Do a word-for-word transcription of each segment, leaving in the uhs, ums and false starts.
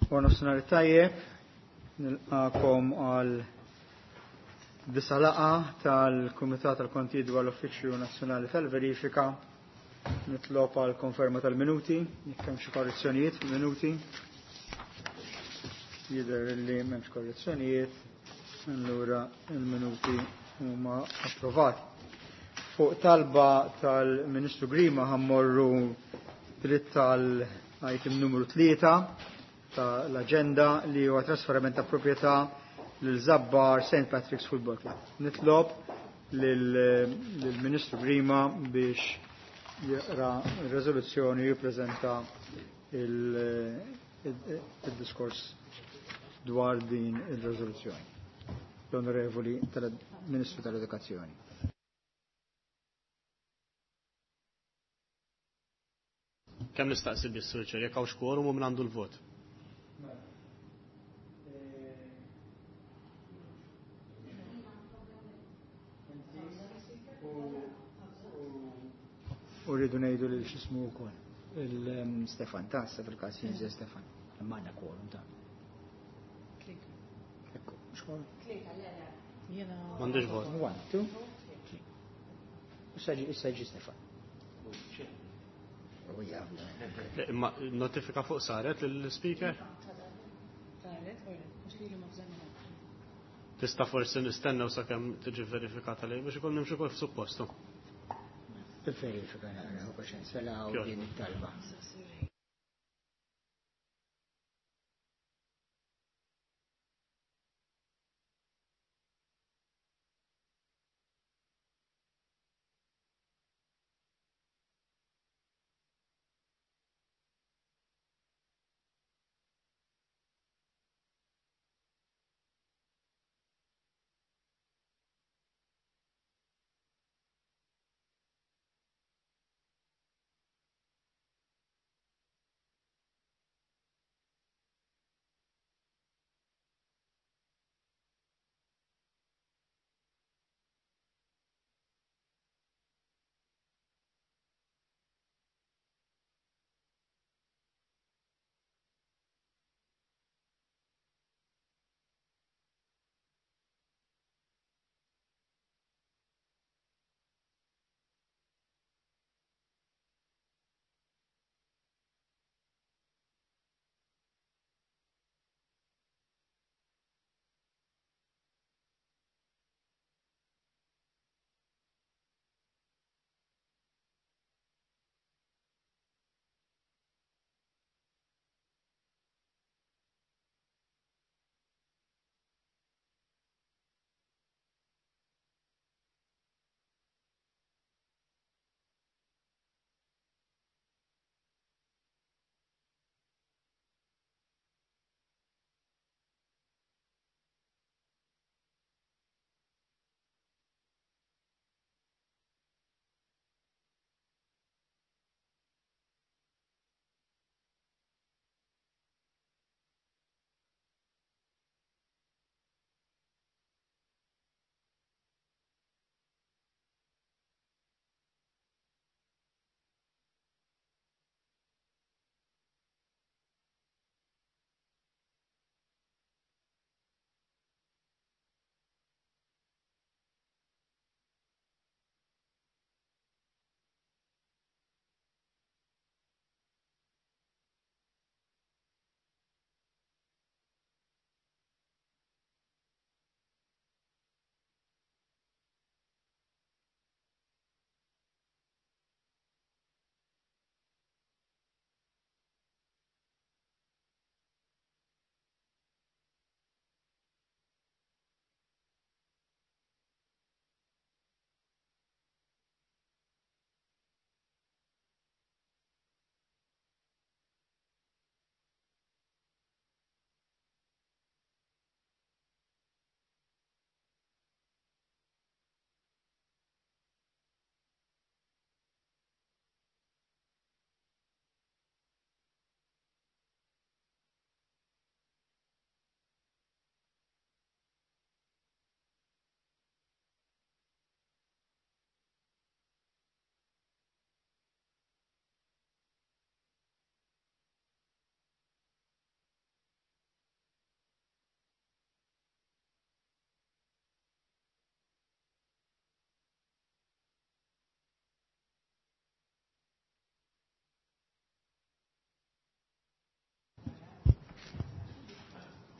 Nofsinhar tajjeb, nilqakom għal disa laqgħa tal-Kumitat tal-Kontijiet dwar l-Uffiċċju Nazzjonali tal-Verifika. Nitlob għal konferma tal-minuti, jekk hemm xi korrezzjonijiet fil-minuti. Jidher li m'hemmx korrezzjonijiet, allura il-minuti huma approvati. Fuq talba tal-Ministru Grima ħammorru dritt tal-item numru tlieta tal-agenda li huwa trasferiment ta' proprjetà lil Żabbar Saint Patrick's Football Club. Nitlob lill-Ministru Grima biex jaqra r-reżoluzzjoni u jippreżenta il-diskors dwar din il-reżoluzzjoni. L-Onorevoli Ministru tal-Edukazzjoni. Kemm nistaqsi bis-Sur Chair, jekk hawnx quorum u min għandu l-vot. U rridu ngħidu lil x'ismu wkoll. Il-Stefan, ta' issa fil-każ jinżel Stefan. Imma għandna quorum ta'. Ekku, mhux quorum? M'għandux vot. One, two, three. Issa ġi issa ġi Stefan. U jaf. Imma notifika fuq saret lill-speaker? Tista' forsi nistennew sakemm tiġi verifikata lej biex ikun nimxu kif suppostu. Il-verifika nara, u paċenza la u din it-talba.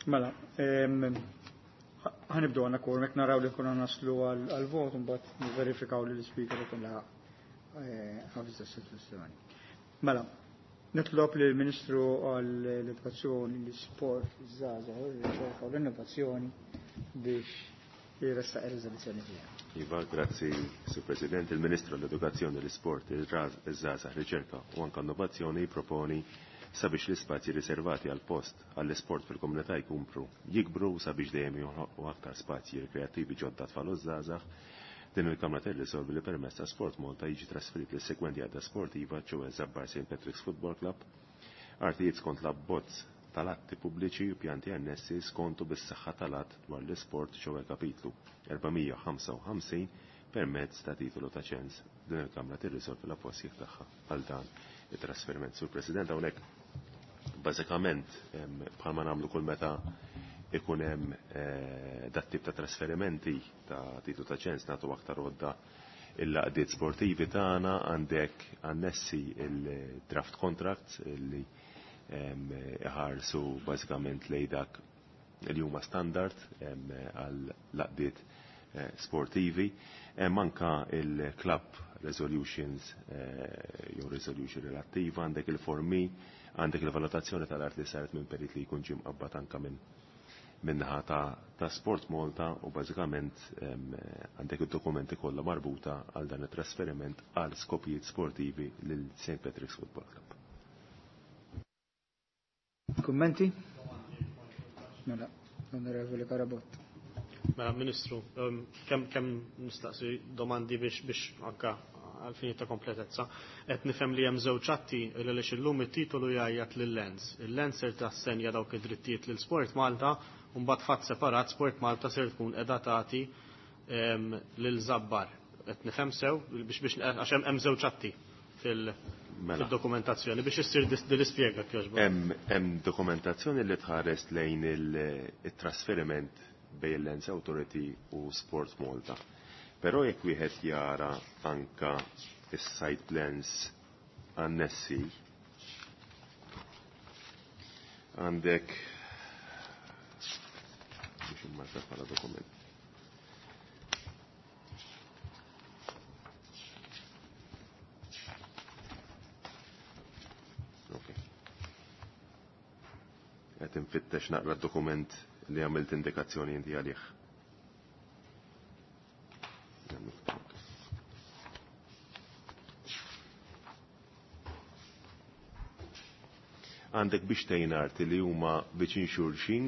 Mela, ħa nibdew għandna quorum, jekk naraw li nkunu naslu għal-vot, mbagħad nverifikaw li l-speaker ikun laħaq ħafiż is-sitwazzjoni. Mela, nitlob li l-Ministru għall-Edukazzjoni, l-Isport, iż-Żgħażagħ, ir-Riċerka u l-Innovazzjoni biex jressaq ir-riżoluzzjoni tiegħu. Iva, grazzi, Sur President. Il-Ministru għall-Edukazzjoni, l-Isport, iż-Żgħażagħ, Riċerka u anke Innovazzjoni proponi sabiex l-ispazji riservati għal post għall-isport fil-komunità jkumpru jikbru sabiex dejjem joħolqu aktar spazji rekreattivi ġodda tfal u żgħażagħ. Din il-Kamra tirrisolvi li permezz ta' Sport Malta jiġi trasferit lis segwenti għadda sportiva ċoe Żabbar Saint Patrick's Football Club, artijiet skont l-abbozz tal-atti pubbliċi u pjanti annessi skontu bis-saħħa tal-att dwar l-isport ċoe kapitlu erba' mija ħamsa u ħamsin permezz ta' titolu ta' ċens. Din il-Kamra tirrisolvi l-appoġġ tagħha għal dan it-trasferiment. Sur President, hawnhekk bażikament bħalma nagħmlu kull meta ikun hemm eh, dat tip ta' trasferimenti ta' titlu ta' ċens, nagħtu aktar għodda il-laqdiet sportivi tagħna. Għandek annessi il-draft contracts li iħarsu bażikament lej dak li huma standard għal laqdiet eh, sportivi. Hemm anka il-club resolutions eh, jew resolution relattiva, għandek il-formi, għandek il-valutazzjoni tal-art li saret minn perit li jkun ġie mqabbad anka minn minnaħa ta', ta' Sport Malta u bażikament għandek id-dokumenti kollha marbuta għal dan it-trasferiment għal skopijiet sportivi lil Saint Patrick's Football Club. Kummenti? Mela, Onorevoli Carabott. Mela, Ministru, kemm kemm nistaqsi domandi biex biex anka għal-fini ta' kompletezza. Qed nifhem li hemm żewġ atti li għaliex illum it-titolu jgħajjat lil-Lands. Il-Lands ser tassenja dawk id-drittijiet lil Sport Malta u mbagħad fatt separat Sport Malta ser tkun qiegħda tagħti lil Żabbar. Qed nifhem sew biex biex għax hemm żewġ atti fil- Mela. fil-dokumentazzjoni biex issir din l-ispjega kjoġba. Hemm hemm dokumentazzjoni li tħares lejn il-trasferiment bejn il-Lands Authority u Sport Malta. Però jekk wieħed jara anka is-site plans annessi, għandek biex immarka bħala dokument. Ok. Qed infittex naqra d-dokument li għamilt indikazzjoni inti għalih. Ok. Għandek biex tejn arti li huma viċin xulxin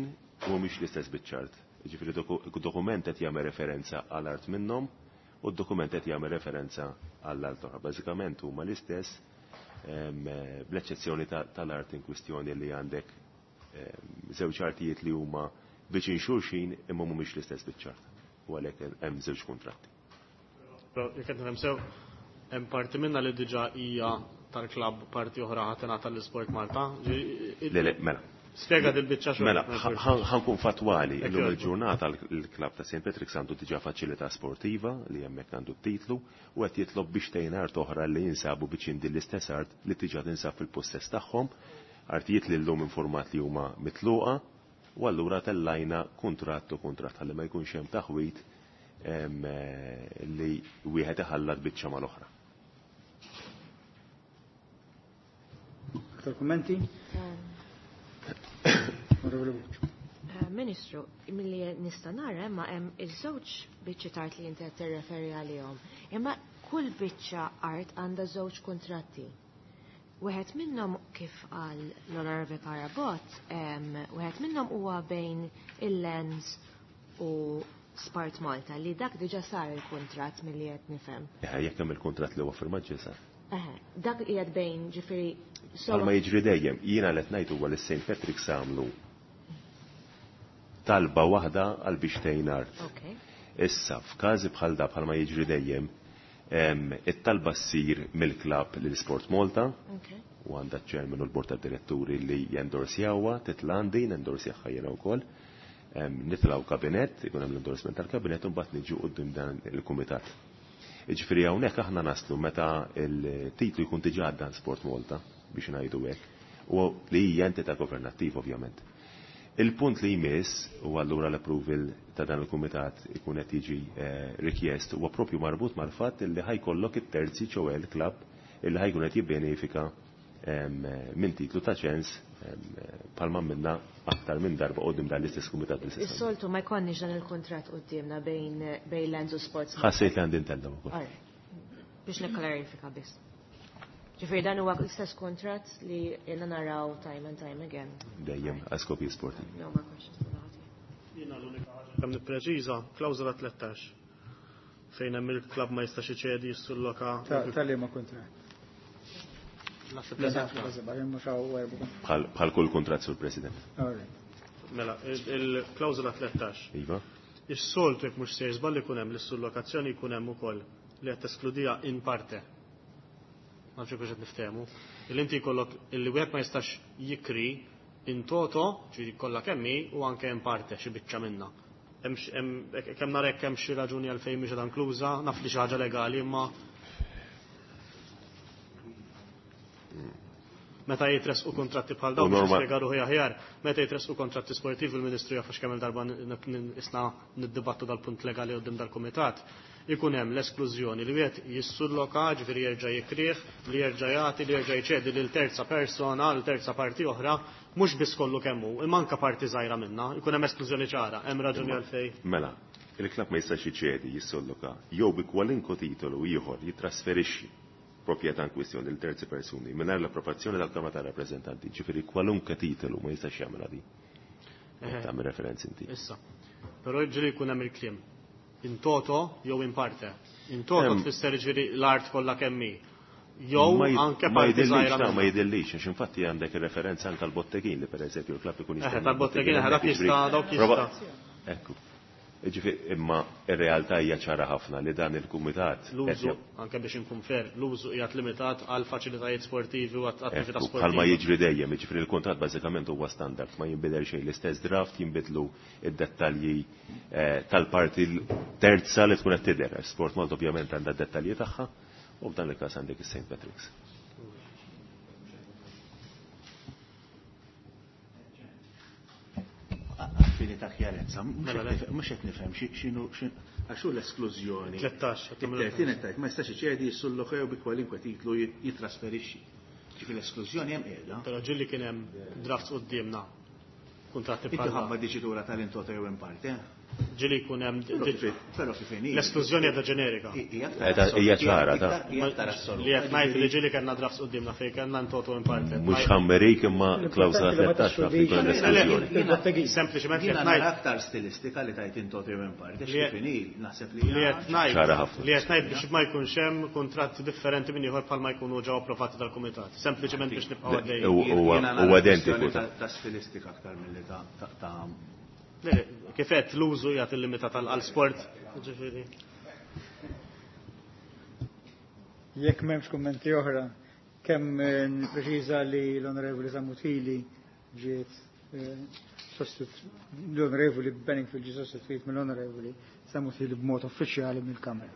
u mhix l-istess biċ-ċart. Ġifieri dokument qed jagħmel referenza għal art minnhom u d-dokument qed jagħmel referenza għall art oħra. Bażikament huma l-istess, bl-eċċezzjoni tal-art in kwistjoni li għandek żewġ artijiet li huma viċin xulxin imma mhumiex l-istess biċ-ċart. U għalhekk hemm żewġ kuntratti. Però jekk qed nifhem sew, hemm parti minna li diġà hija tal-klabb, parti oħra ħa tingħata l-Sport Malta. Le, le, mela. Spjega dil-biċċa xogħol. Mela, ħa nkun fatwali, illum il-ġurnata l-klabb ta' Saint Patrick's għandu diġà faċilità sportiva li hemmhekk għandu t-titlu u qed jitlob biex tejn art oħra li jinsabu biċin din l-istess art li diġà tinsab fil-possess tagħhom, artijiet li llum informat li huma mitluqa, u allura tellajna kuntratt u kuntratt ħalli ma jkunx hemm taħwit li wieħed iħallat biċċa mal-oħra. Aktar kummenti? Onorevoli Bucci. Ministru, milli nista' nara imma hemm iż-żewġ biċċi art li inti qed tirreferi għalihom. Imma kull biċċa art għandha żewġ kuntratti. Wieħed minnhom, kif qal l-Onorevoli Carabott, wieħed minnhom huwa bejn il-Lands u Sport Malta li dak diġà sar il-kuntratt milli qed nifhem. Jekk hemm il-kuntratt li huwa firmat ġie sar. Eħe, dak qiegħed bejn ġifieri Bħalma jiġri dejjem, jiena qed ngħid huwa li Saint Patrick's għamlu talba waħda għal biex tejn art. Okay. Issa, f'każi bħal da, bħalma jiġri dejjem, it-talba ssir mill-klabb lil Sport Malta Okay. u għandha ċ-chairman u l-bord tad-diretturi li jendorsjawha, titla' għandi, nendorsjaha jiena wkoll. Nitilgħu kabinet, ikun hemm l-endorsement tal-kabinet u mbagħad niġu quddiem dan il-kumitat. Jiġifieri hawnhekk aħna naslu meta il-titlu jkun diġà għadda Sport Malta, biex ngħidu hekk, u li hija entità governattiva ovvjament. Il-punt li jmiss, u allura l-approval ta' dan il-kumitat ikun qed jiġi rikjest, huwa propju marbut mal-fatt li ħajkollok it-terzi ċowe l-klabb illi ħajkun qed jibbenefika minn titlu ta' ċens palma minna aktar minn darba qudiem dan l-istess kumitat l-istess. Is-soltu ma jkollniex dan il-kuntratt quddiemna bejn bejn Lands u Sports. Ħassejt li għandi ntellem ukoll. Biex nikklarifika biss. Ġifieri dan huwa l-istess kuntratt li jiena naraw time and time again. Dejjem għal skopi sportivi. No more questions. Jiena l-unika ħaġa kemm nippreċiża klawżola tlettax fejn hemm il-klabb ma jistax iċedi jissulloka. Ta' liema kuntratt? Bħal kull kuntratt sur President. Mela, il-klawżola tlettax. Iva. Is-soltu jekk mhux sejr żball ikun hemm l-issullokazzjoni jkun hemm ukoll li qed teskludija in parte. Ma nafx kux qed niftehmu. Illi inti jkollok illi wieħed ma jistax jikri in toto, ġifieri kollha kemm hi, u anke in parte xi biċċa minnha. Kemm nara hekk hemm xi raġuni għalfejn mhix qiegħda inkluża, naf li xi ħaġa legali imma meta jitresqu kontratti bħal dawn biex nispjega ruħi aħjar, meta jitresqu kontratti sportivi il-Ministru jaf għax kemm il-darba isna niddibattu dal-punt legali quddiem dal-kumitat, ikun hemm l-esklużjoni li wieħed jissulloka, ġifieri jerġa' jikrih, li jerġa' jagħti, li jerġa' jċedi lil terza persona, lil terza parti oħra, mhux biss kollu kemm hu, imma anke parti żgħira minnha, ikun hemm esklużjoni ċara, hemm raġuni għalfejn. Mela, il-klabb ma jistax jiċedi, jissulloka, jew bi kwalunkwe titolu ieħor jitrasferixxi proprjetà in kwistjoni lil terzi persuni mingħajr l-approvazzjoni tal-Kamra tar-Rappreżentanti, ġifieri kwalunkwe titolu ma jistax jagħmilha di. Tagħmel referenzi inti. Issa. Però ġieli jkun hemm il-kliem. In toto jew in parte. In toto tfisser ġieli l-art kollha kemm hi. Jew anke parti żgħira. Ma jidillix, għax infatti għandek ir-referenza anke għall-bottegin li pereżempju l-klabb ikun jista' tal-bottegin dak jista' dawk jista'. Ekku. Ġifieri imma ir-realtà hija ċara ħafna li dan il-kumitat l-użu anke biex inkun fair, l-użu qiegħed limitat għal faċilitajiet sportivi u attività sportiva. Bħalma jiġri dejjem, jiġifieri l-kuntratt bażikament huwa standard, ma jinbidel xejn, l-istess draft jinbidlu id-dettalji tal-parti terza li tkun qed tidher. Sport Malta ovvjament għandha d-dettalji tagħha u f'dan il-każ għandek is-Saint Patrick's. Fini ta' kjarezza, mhux qed nifhem x'inhu għax hu l-esklużjoni. tlettax. It-tertin qed ma jistax iċedi jissullokew bi kwalinkwe titlu jitrasferixxi. Ġifieri l-esklużjoni hemm qiegħda. Però ġieli kien hemm drafts quddiemna kuntratti bħal. Inti ħabba diċitura tal-in toto jew in parte. Ġieli jkun hemm però kif inhi. L-esklużjoni qiegħda ġenerika. Hija ċara ta' li qed ngħid li ġieli kellna drafts quddiemna fejn kellna in toto in parte. Mhux ħammerik imma klawżola tlettax naf li jkun l-esklużjoni. Sempliċement qed ngħid aktar stilistika li tajt in toto jew in parte, kif inhi naħseb li li qed ngħid li qed ngħid biex ma jkunx hemm kuntratti differenti minn ieħor bħalma jkunu ġew approvati dal-kumitat. Sempliċement biex nibqgħu għaddejjin. Huwa identiku ta' stilistika aktar milli ta' Kif qed l-użu jagħti illimitat għal sport, ġifieri. Jekk m'hemmx kummenti oħra, kemm nippreċiża li l-Onorevoli Samutili ġiet l-Onorevoli Benningfield ġiet sostituit mill-Onorevoli Samutili b'mod uffiċjali mill-Kamra.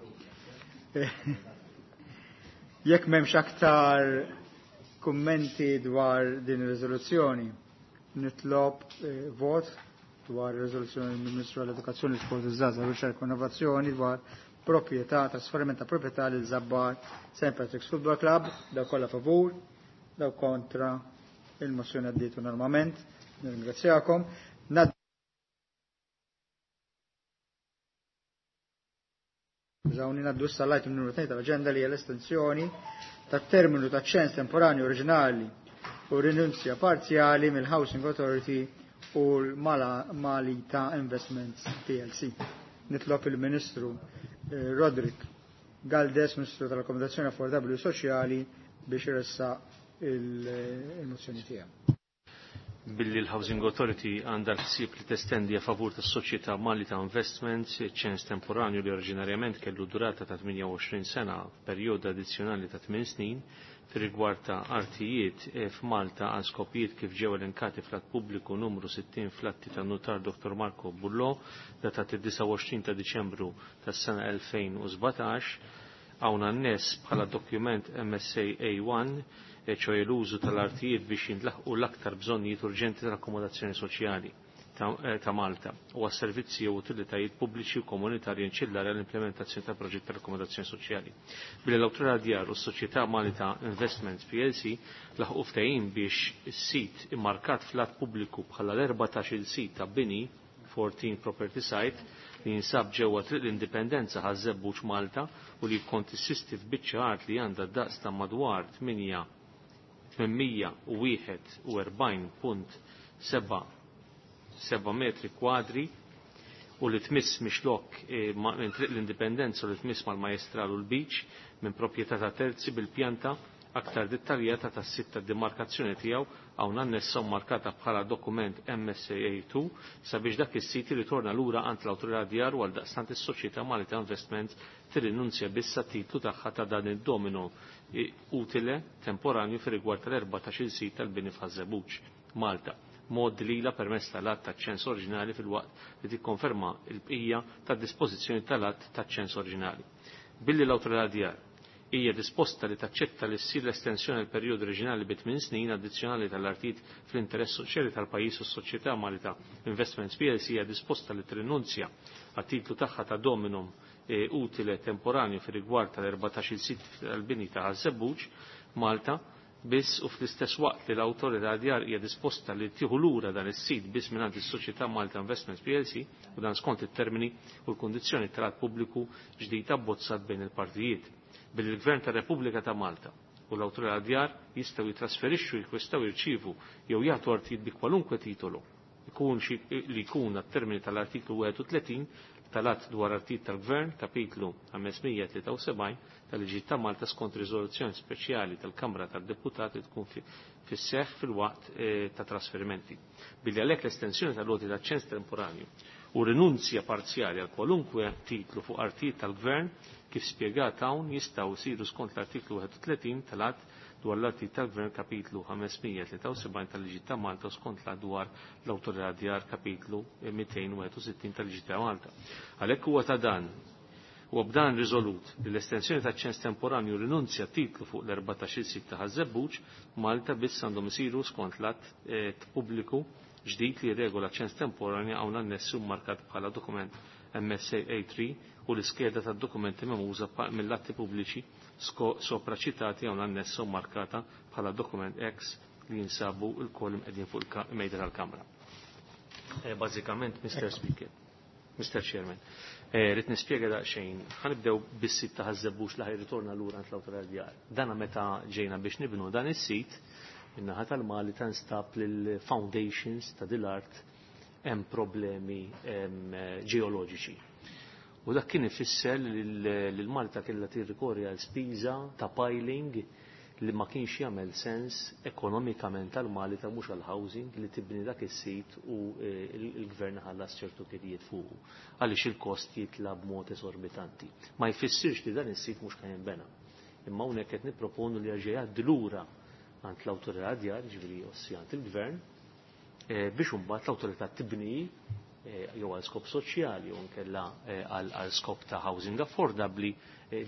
Jekk m'hemmx aktar kummenti dwar din ir-riżoluzzjoni, nitlob vot dwar riżoluzzjoni mill-Ministru għall-Edukazzjoni, Sport, iż-Żgħażagħ, Riċerka u Innovazzjoni dwar proprjetà, trasferiment ta' proprjetà lil Żabbar Saint Patrick's Football Club, daw kollha favur, daw kontra, il-mozzjoni għaddiet normalment. Nirringrazzjakom. Zawni naddu issa l-item numru tnejn tal-aġenda li hija l-estensjoni tat-terminu ta' ċens temporanju oriġinali u rinunzja parzjali mill-Housing Authority u l-Malita Investments P L C. Nitlob il-Ministru Roderick Galdes, Ministru tal-Akkomodazzjoni Affordabbli u Soċjali, biex iressaq il-mozzjoni tiegħu. Billi l-Housing Authority għandha l-ħsieb li testendi a favur tas-soċjetà Malita Investments ċens temporanju li oriġinarjament kellu durata ta' tmienja u għoxrin sena f'perjodu addizzjonali ta' tmien snin fir-rigward ta' artijiet f'Malta għal skopijiet kif ġew elenkati fl-att pubbliku numru sittin fl-atti tan-nutar Doktor Marco Bullo datat id-disgħa u għoxrin ta' Diċembru tas-sena elfejn u sbatax, hawn annes bħala dokument M S A A one, ċoj l-użu tal-artijiet biex jintlaħqu l-aktar bżonnijiet urġenti tal-akkomodazzjoni soċjali. ta' Malta u għas-servizzi u utilitajiet pubbliċi u komunitarji inċillari għall-implementazzjoni ta' proġett tal-akkomodazzjoni soċjali. Billi l-Awtorità Djar u s-Soċjetà Malta Investments P L C laħqu ftehim biex is-sit immarkat fl-att pubbliku bħala l-erbatax-il sit ta' bini fourteen Property Site li jinsab ġewwa Triq l-Indipendenza Ħaż-Żebbuġ Malta u li jikkonsisti f'biċċa art li għandha daqs ta' madwar tmien u wieħed u erbgħin punt seba' seba' metri kwadri u li tmiss mixlok minn Triq l-Indipendenza u li tmiss mal-Majestral u l-Beach minn proprjetà ta' terzi bil-pjanta aktar dettaljata tas sitta demarkazzjoni tiegħu hawn annessa u markata bħala dokument M S A two sabiex dak is-sit ritorna lura għand l-Awtorità Djar u għal daqstant is-Soċjetà Malta Investments tirrinunzja biss titlu tagħha ta' dan id-domino utile temporanju fir-rigward tal-erbatax-il sit tal-bini f'Ħaż-Żebbuġ, Malta. Mod lila permezz tal-att taċ-ċens oriġinali fil-waqt li tikkonferma l-bqija tad-dispożizzjoni tal-att taċ-ċens oriġinali. Billi l-Awtorità Djar hija disposta li taċċetta li ssir l-estensjoni għal perjodu oriġinali bi tmien snin addizzjonali tal-artit fl-interess soċjali tal-pajjiż u s-Soċjetà Malta Investments P L C hija disposta li tirrinunzja għat-titlu tagħha ta' dominum utile temporanju fir-rigward tal-erbatax-il sit tal-bini ta' Ħaż-Żebbuġ Malta biss u fl-istess waqt li l-Awtorità Djar hija disposta li tieħu lura dan is-sit biss mingħand is-Soċjetà Malta Investments P L C u dan skont it-termini u l-kundizzjoni tal-att pubbliku ġdid abbozzat bejn il-partijiet. Billi l-Gvern tar-Repubblika ta' Malta u l-Awtorità Djar jistgħu jitrasferixxu, jikkwestaw, jirċievu jew jagħtu artijiet bi kwalunkwe titolu ikun xi li jkun għat-termini tal-artiklu wieħed u tletin tal-att dwar artijiet tal-Gvern, kapitlu ħamesmija tlieta u sebgħin tal-Liġi ta' Malta skont riżoluzzjoni speċjali tal-Kamra tad-Deputati tkun fis-seħħ fil-waqt ta' trasferimenti. Billi għalhekk l-estensjoni tal-loti ta' ċens temporanju u rinunzja parzjali għal kwalunkwe titlu fuq artijiet tal-Gvern kif spjegat hawn jistgħu jsiru skont l-artiklu wieħed u tletin tal-att dwar l-artijiet tal-Gvern kapitlu ħamesmija tlieta u sebgħin tal-Liġi ta' Malta skont l-att dwar l-Awtorità Djar kapitlu mitejn u wieħed u sittin tal-Liġi ta' Malta. Għalhekk huwa ta' dan u b'dan riżolut li l-estensjoni ta' ċens temporanju rinunzja titlu fuq l-erbatax-il sit ta' Ħaż-Żebbuġ Malta biss għandhom isiru skont l-att pubbliku ġdid li regola ċens temporanju hawn annessi u markat bħala dokument M S A three u l-iskeda tad dokumenti memuża mill-atti pubbliċi sopra ċitati hawn annessa u markata bħala dokument X li jinsabu l-koll imqegħdin fuq il-mejda tal-Kamra. Bażikament, Mister Speaker, Mister Chairman, rrid nispjega daqsxejn, ħanibdew bis-sit ta' Ħaż-Żebbuġ li ħajritorna lura għand l-Awtorità Djar. Dana meta ġejna biex nibnu dan is-sit, min-naħa tal-Mali ta' nstab lill-foundations ta' dil-art hemm problemi ġeoloġiċi. U dak kien ifisser li l-Malta kellha tirrikorri għal spiża ta' piling li ma kienx jagħmel sens ekonomikament tal-Mali ta' mhux għall-housing li tibni dak is-sit u l-gvern ħallas ċertu kirjiet fuqu għaliex il-kost jitla b'mod esorbitanti. Ma jfissirx li dan is-sit mhux kien jinbena. Imma hawnhekk qed nipproponu li jerġa' jgħaddi lura għand l-Awtorità Djar, ġifieri ossi għand il-gvern, biex imbagħad l-awtorità tibni jew għal skop soċjali jew inkella għal skop ta' housing affordabbli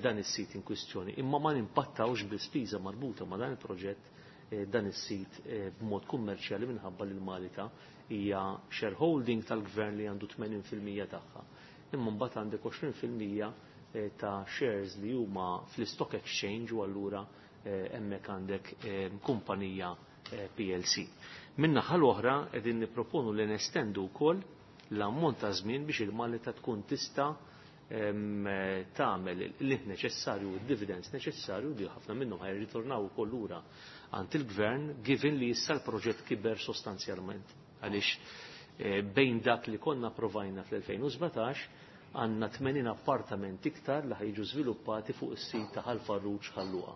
dan is-sit in kwistjoni. Imma ma nimpattawx bil-spiża marbuta ma' dan il-proġett dan is-sit b'mod kummerċjali minħabba li l-Malta hija shareholding tal-gvern li għandu tmenin fil-mija tagħha. Imma mbagħad għandek għoxrin fil-mija ta' shares li huma fl-stock exchange u allura hemmhekk għandek kumpanija P L C. Min-naħa l-oħra qegħdin nipproponu li nestendu wkoll l-ammont ta' żmien biex il-Malta tkun tista' tagħmel l neċessarju u d-dividends neċessarju li ħafna minnhom ħajritornaw ukoll lura għand il-gvern given li issa l-proġett kiber sostanzjalment. Għaliex bejn dak li konna provajna fl-elfejn u sbatax għandna tmenin appartament iktar li ħajġu żviluppati fuq is-sit ta' Ħal Farruġ Ħal Luqa.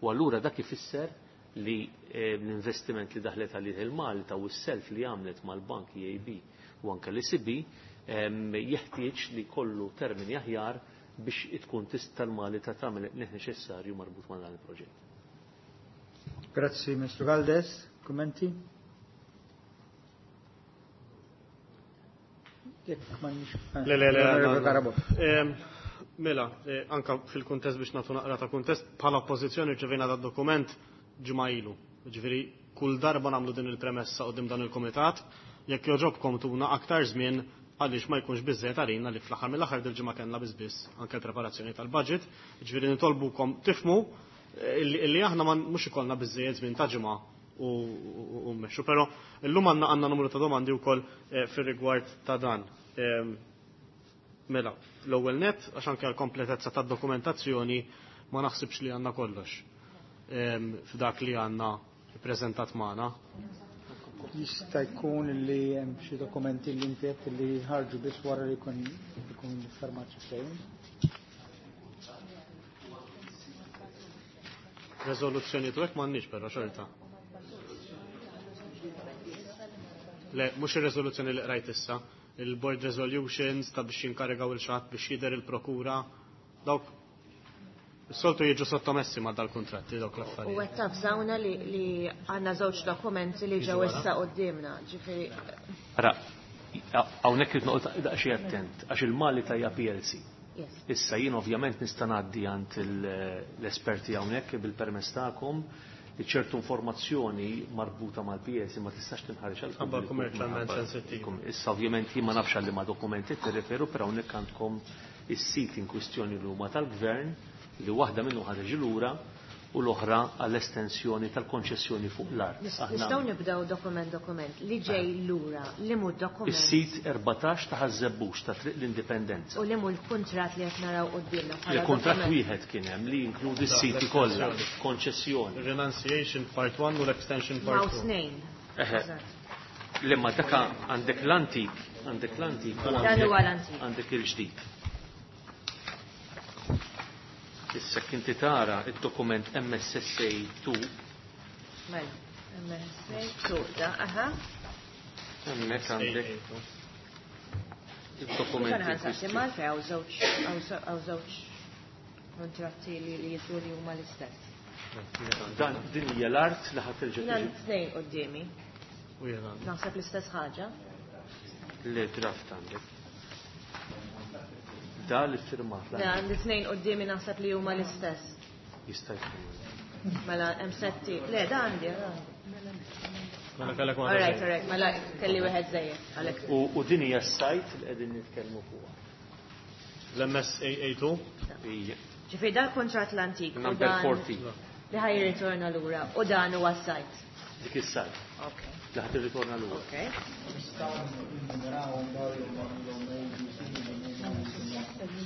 U allura dak ifisser li l-investiment li daħlet għalih il-Malta u s-self li għamlet mal-Bank E A B u anke l E C B jeħtieġ li kollu termini aħjar biex tkun tista' l-Malta tagħmel li neċessarju marbut ma' dan il-proġett. Grazzi, Ministru Galdes. Kummenti? Jekk m'għandniex. Le, le, le, Onorevole le, le. Carabott. Ehm, mela, eh, anka fil-kuntest biex nagħtu naqra ta' kuntest, bħala oppożizzjoni rċevejna dat dokument ġimgħa ilu. Ġifieri kull darba nagħmlu din il-premessa quddiem dan il-kumitat, Jekk jogħġobkom tuna aktar żmien għaliex ma jkunx biżżejjed għalina li fl-aħħar mill-aħħar dil-ġimgħa kellna biss biss anke l-preparazzjoni tal-budget, jiġifieri nitolbukom tifhmu illi aħna mhux ikollna biżżejjed żmien ta' ġimgħa u mmexxu, però llum għandna għandna numru ta' domandi wkoll fir-rigward ta' dan. Mela, l-ewwel nett għax anke l-kompletezza tad-dokumentazzjoni ma naħsibx li għandna kollox f'dak li għandna ppreżentat magħna. Jista' jkun li hemm xi dokumenti li inti qed li ħarġu biss wara li jkun ikun fermat xi ftehim. Reżoluzzjoni tu hekk m'għandniex però xorta. Le, mhux ir-reżoluzzjoni li qrajt issa, il-board resolutions ta' biex jinkarigaw il-xatt biex jidher il-prokura, dawk soltu jiġu sottomessi ma' dal-kontratti dawk l-affarijiet. U qed tafżawna li għandna żewġ dokumenti li ġew issa quddiemna, ġifieri. Ara, hawnhekk irid noqgħod daqsxejn attent għax il-Mali tajja P L C. Issa jien ovvjament nista' ngħaddi għand l-esperti hawnhekk bil-permess tagħkom li ċertu informazzjoni marbuta mal-P L C ma tistax tinħareġ għal Ħabba commercialment sensittiv. Issa ovvjament jien ma nafx għal liema dokumenti tirreferu, però hawnhekk għandkom is-sit in kwistjoni li huma tal-gvern li waħda minnu ħareġ lura u l-oħra għall-estensjoni tal-konċessjoni fuq l-art. Nistgħu nibdew dokument dokument li ġej lura, li mhu dokument. Is-sit erbatax ta' Ħaż-Żebbuġ ta' Triq l-Indipendenza. U li mhu l-kuntratt li qed naraw quddiemna bħala Il-kuntratt dokument. wieħed kien hemm li jinkludi s-siti kollha, konċessjoni. Renunciation part one u l-extension part Maw two. snejn. Eħe. Lemma daka għandek l-antik, għandek l-antik u Dan għandek huwa l-antik. għandek il-ġdid. Issa kinti tara id-dokument M S S A two. Mela, M S S A two, da, aha. Hemmhekk għandek id-dokumenti Ħana nsaqsi kwistjoni. Malta hawn żewġ, hawn żewġ kontratti li, li jidhru li huma l-istess. Dan din hija l-art li ħadd terġa' Jien tiġi. tnejn quddiemi. U jiena għandi. Naħseb l-istess ħaġa. Le draft għandek. Da li firmat. Le, għandi tnejn quddiemi naħseb li huma l-istess. Jista' jkun. Mela hemm setti. Le, da għandi, da għandi. Mela kellek waħda All right, żejjed. all right, mela kelli wieħed żejjed, għalhekk. U, u din hija s-sajt li qegħdin nitkellmu fuqha. L-M S A A two? Ija. Ġifieri dal kuntratt l-antik u Number dan forty. li ħaj jirritorna lura u dan huwa s-sajt. Dik is-sajt. Ok. Li ħad tirritorna lura. Ok.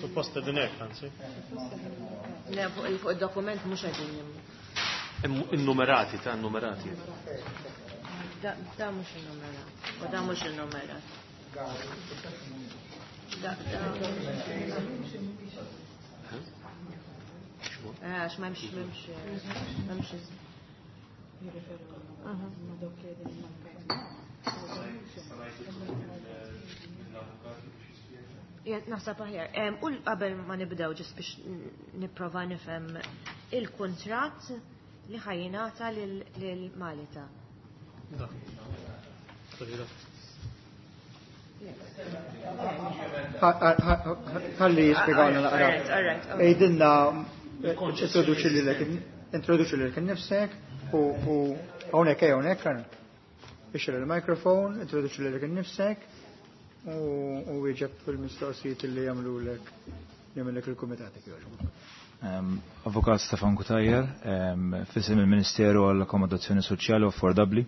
Suppost qegħdin hekk, anzi. Le, fuq il-, fuq id-dokument mhux qegħdin jimmu. Innumerati, ta' innumerati. Da, da mhux innumerat. U da mhux innumerat. Da, da. Eh, għax m'hemmx, m'hemmx, m'hemmx. Aha. Ja, naħseb aħjar. Em, u qabel ma nibdew ġis biex nipprova nifhem il-kuntratt li ħajjingħata lil, lil Malita. Da. Sorry, da. Ħalli jispjegawna naqra. All right, all right, okay. Ejdilna, introduċi lilek, introduċi lilek innifsek u, u hawnhekk, ejja, hawnhekk, għana. Ixxel il-mikrofon, introduċi lilek innifsek u, u wieġeb fil-mistoqsijiet li jagħmlulek, jagħmellek il-kumitat jekk jogħġbok. Em, Avukat Stefan Cutajar, em, fisem il-Ministeru għall-Akkomodazzjoni Soċjali u Affordabbli.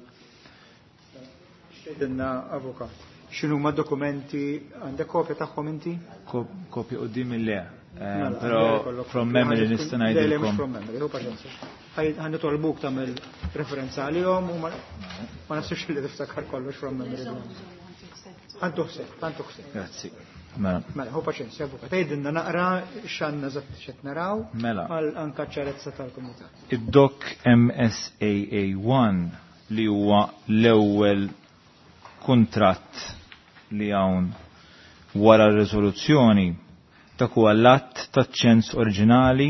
Xtejtilna, avukat, x'inhu ma dokumenti, għandek kopja tagħhom inti? Ko-, kopja quddiem il-le. Em, Mela, Però għandek kollok from kopja. memory Ħan nista' tkun- Le, le, mhux ngħidilkom. from memory, hu paċenzja. Ħaj-, ħan nitolbuk tagħmel referenza għalihom u ma, ma nafsux li tiftakar kollox from memory. Ħan tuħseb, ħan tuħseb. Grazzi. Mela. Mela, hu paċenzja, avukat. Għidilna naqra x'għandna eżatt x'qed naraw Mela. għal anka ċarezza tal-kumitat. Id-dok M S A A one li huwa l-ewwel kuntratt li hawn wara r-riżoluzzjoni dak huwa l-att taċ-ċens oriġinali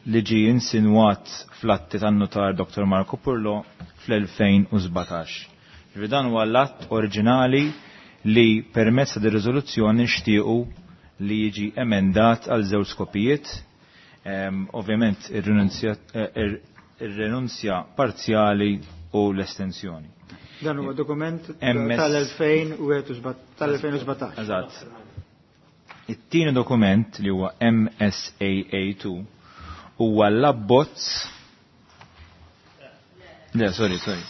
li ġie insinwat fl-atti tan-notar Doktor Marco Purlo fl-elfejn u sbatax. Ġifieri dan huwa l-att oriġinali li permezz ta' riżoluzzjoni nixtiequ li jiġi emendat għal żewġ skopijiet. Ehm, ovvjament ir-renunzja, eh, ir-, ir-renunzja parzjali u l-estensjoni. Dan huwa dokument tal-elfejn u sbatax. Eżatt. It-tieni dokument li huwa M S A A two huwa l-abbozz. Le, sorry, sorry.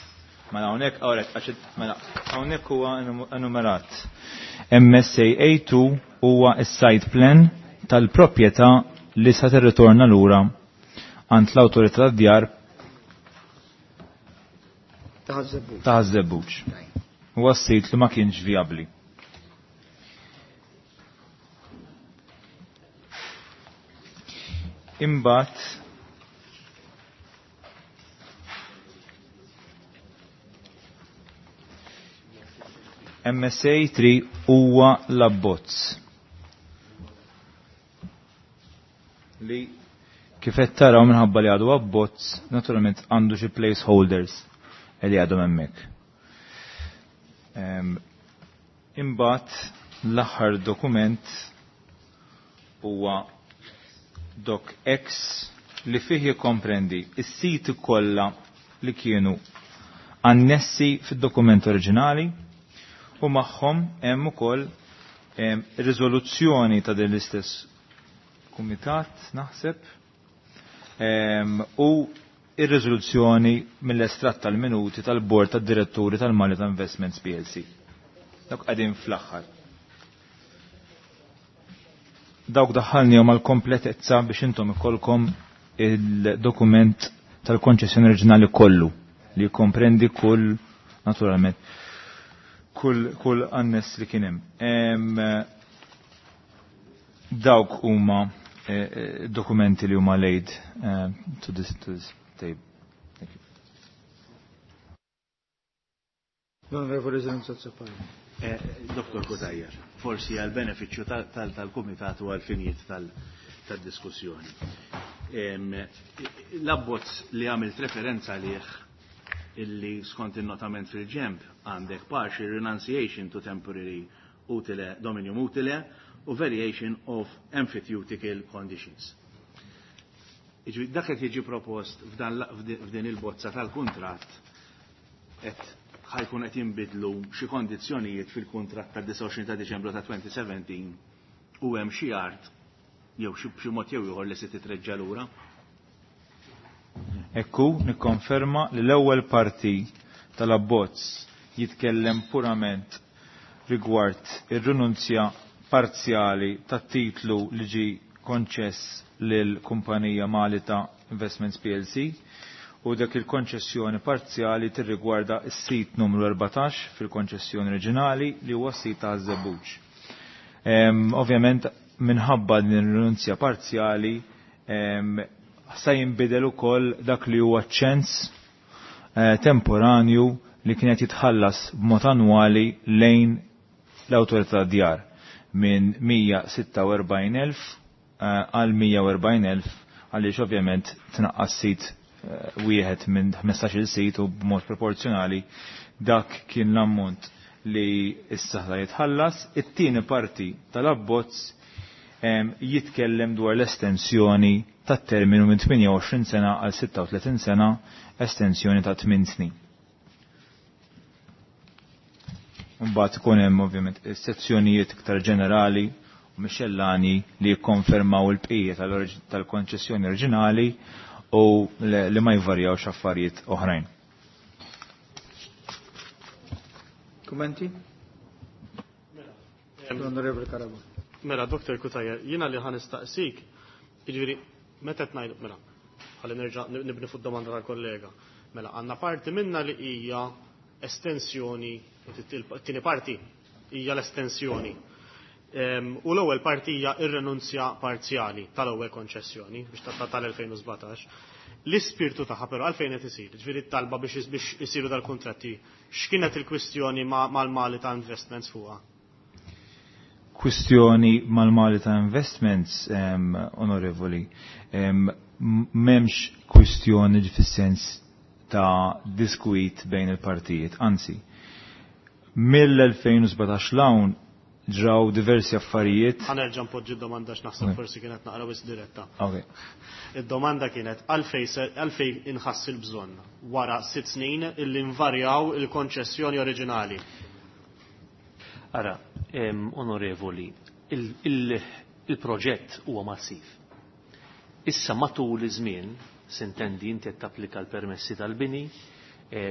Mela hawnhekk hawnhekk għax mela hawnhekk huwa enumerat. M S A A two huwa s-site plan tal-proprjetà li sa tirritorna lura għand l-awtorità tad-djar ta' Ħaż-Żebbuġ. Huwa s-sit li ma kienx vijabbli. Imbagħad M S A three huwa l-abbozz li kif qed taraw minħabba li għadu abbozz, naturalment għandu xi placeholders li għadhom hemmhekk. Ehm, imbagħad l-aħħar dokument huwa Doc X li fih jikkomprendi s-siti kollha li kienu annessi fid-dokument oriġinali u magħhom hemm ukoll, ehm, riżoluzzjoni ta' din l-istess kumitat naħseb, ehm, u ir-riżoluzzjoni mill-estratt tal-minuti tal-Bord tad-Diretturi tal-Malta Investments P L C. Dawk qegħdin fl-aħħar. Dawk daħħalnihom għall-kompletezza biex intom ikolkom il-dokument tal-konċessjoni oriġinali kollu li jikkomprendi kull, naturalment, kull, kull annes li kien hemm. Em, dawk huma, eh, eh, dokumenti li huma laid, eh, to this, to this table. Thank you. L-Onorevoli Zrinzo Azzopardi. Eh, Doktor Cutajar, forsi għal beneficju tal-, tal-, tal-Kumitat u għal-finijiet tal-, tad-diskussjoni. Em, l-abbozz li għamilt referenza għalih illi skont il-notament fil-ġemp għandek partial renunciation to temporary utile, dominium utile u variation of emphyteutical conditions. Iġvi, dak qed jiġi propost f'dan la-, f'di-, f'din il-bozza tal-kuntratt qed ħajkun qed jinbidlu xi kondizzjonijiet fil-kuntratt tad-disgħa u għoxrin ta' Diċembru ta' twenty seventeen u hemm xi art jew xi b'xi mod jew ieħor li se titreġġa' lura. Ekku, nikkonferma li l-ewwel parti tal-abbozz jitkellem purament rigward ir-rinunzja parzjali tat-titlu li ġi konċess lil kumpanija Malta Investments P L C u dak il-konċessjoni parzjali tirrigwarda s-sit numru erbatax fil-konċessjoni oriġinali li huwa s-sit ta' Żebbuġ. Em, ovvjament minħabba din ir-rinunzja parzjali, em, sa jinbidel ukoll dak li huwa ċens, eh, temporanju li kienet jitħallas b'mod annwali lejn l-awtorità djar minn mija sitta u erbgħin elf, eh, għal mija u erbgħin elf għaliex ovvjament tnaqqas sit, eh, wieħed minn ħmistax-il sit u b'mod proporzjonali dak kien l-ammont li issa ħa jitħallas. It-tieni parti tal-abbozz, em, jitkellem dwar l-estensjoni tat-terminu minn tmienja u għoxrin sena għal sitta u tletin sena, estensjoni ta' tmien snin. Mbagħad ikun hemm ovvjament sezzjonijiet iktar ġenerali u mixellani li jikkonfermaw il-bqija tal-origi-, tal-konċessjoni oriġinali u le-, li ma jvarjawx affarijiet oħrajn. Kummenti? L-Onorevoli Carabott. Mela, Doktor Cutajar, jiena li ħan nistaqsik, jiġifieri, meta qed ngħidu, mela, ħalli nerġa' nibni fuq domanda tal-kollega. Mela, għandna parti minna li hija estensjoni, it-tieni parti hija l-estensjoni. Em, u l-ewwel parti hija r-renunzja parzjali tal-ewwel konċessjoni biex ta' tal-elfejn u sbatax. L-ispirtu tagħha però għalfejn qed isir, ġifieri t-talba biex is-, biex isiru dal-kuntratti, x'kienet il-kwistjoni ma-, mal-Mali ta' Investments fuqha? Kwistjoni mal-Mali ta' Investments, em, onorevoli, em, m'hemmx kwistjoni fis-sens ta' diskwit bejn il-partijiet, anzi, mill-elfejn u sbatax l-hawn ġraw diversi affarijiet. Ħa nerġa' npoġġi d-domanda x'naħseb forsi kienet naqra wisq diretta. Okay. Id-domanda kienet għalfejn għalfejn inħass il-bżonn wara sitt snin illi nvarjaw il-konċessjoni oriġinali. Ara, onorevoli, il-proġett huwa massiv. Issa matul iż-żmien, sintendi inti qed tapplika l-permessi tal-bini,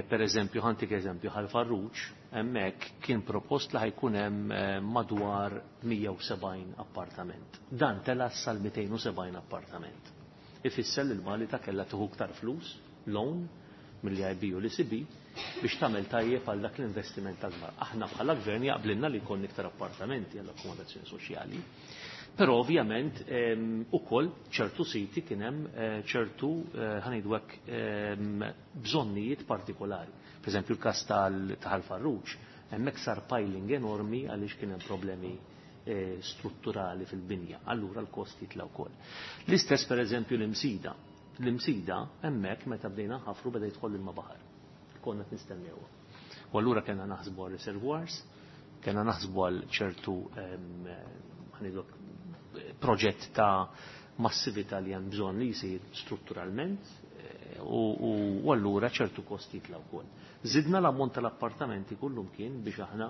per eżempju, ħa ntik eżempju, Ħal Farruġ, hemmhekk kien propost li ħa jkun hemm madwar mija u sebgħin appartament. Dan tela sal mitejn u sebgħin appartament. Ifisser li l-Malita kellha tieħu iktar flus, loan, mill-E I B u l-E C B, biex tagħmel tajjeb għal dak l-investiment akbar. Aħna bħala gvern jaqblilna li jkollna iktar appartamenti għall-akkomodazzjoni soċjali, però ovvjament ukoll ċertu siti kien hemm ċertu ħa ngħidu hekk bżonnijiet partikolari. Per eżempju l-każ ta' Ħal Farruġ, hemmhekk sar piling enormi għaliex kien hemm problemi strutturali fil-binja, allura l-kost jitla' wkoll. L-istess per eżempju l-Imsida. L-Imsida hemmhekk meta bdejna nħafru beda jidħol ilma baħar. Konna qed nistennewha. U allura kellna naħsbu għal reservoirs, kellna naħsbu għal ċertu ħa ngħidu proġett ta' massività li hemm bżonn li jsir strutturalment u allura ċertu kost jitla' wkoll. Żidna l-ammont tal-appartamenti kullum kien biex aħna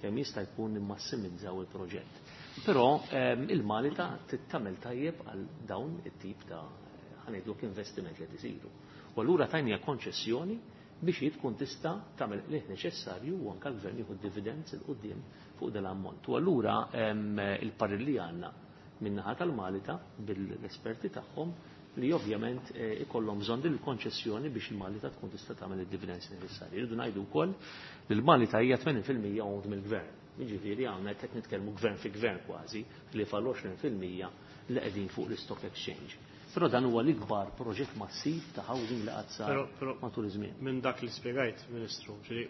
kemm jista' jkun nimmassimizzaw il-proġett. Però il-Malita tittamel tajjeb għal dawn it-tip ta' ħa ngħidlek investiment li qed isiru. U allura tajnija konċessjoni biex hi tkun tista' tagħmel li neċessarju u anke l-gvern jieħu dividends il quddiem fuq dan l-ammont. U allura il-parir li għandna min-naħa tal-Malita bil-esperti tagħhom li ovvjament ikollhom bżonn din il-konċessjoni biex il-Malita tkun tista' tagħmel id-dividends neċessarji. Irridu ngħidu wkoll li l-Malita hija tmenin fil-mija owned mill-gvern. Jiġifieri hawn qed nitkellmu gvern fi gvern kważi li fal għoxrin fil-mija li qegħdin fuq l-stock exchange. Però dan huwa l-ikbar proġett massiv ta' housing li qatt sar Però, però matul iż-żmien. Minn dak li spjegajt, Ministru, ġifieri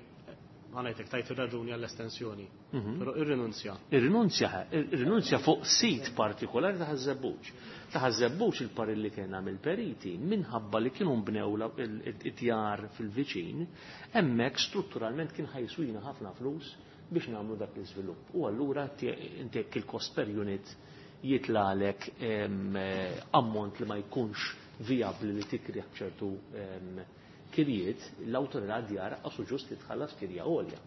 ħa ngħidlek tajt ir-raġuni għall-estensjoni. Mhm. Però irrinunzja. Irrinunzja, irrinunzja fuq sit partikolari ta' Ħaż-Żebbuġ. Ta' Ħaż-Żebbuġ il-parir li kien għamil periti minħabba li kienu nbnew la-, il-, il-, id-djar fil-viċin, hemmhekk strutturalment kien ħajswina ħafna flus biex nagħmlu dak l-iżvilupp. U allura inti jekk il-cost per unit jitlalek, em, ammont li ma jkunx viabli li tikri ċertu, em, kirjiet, l-awtorità djar qasu ġust li tħallas kirja għolja.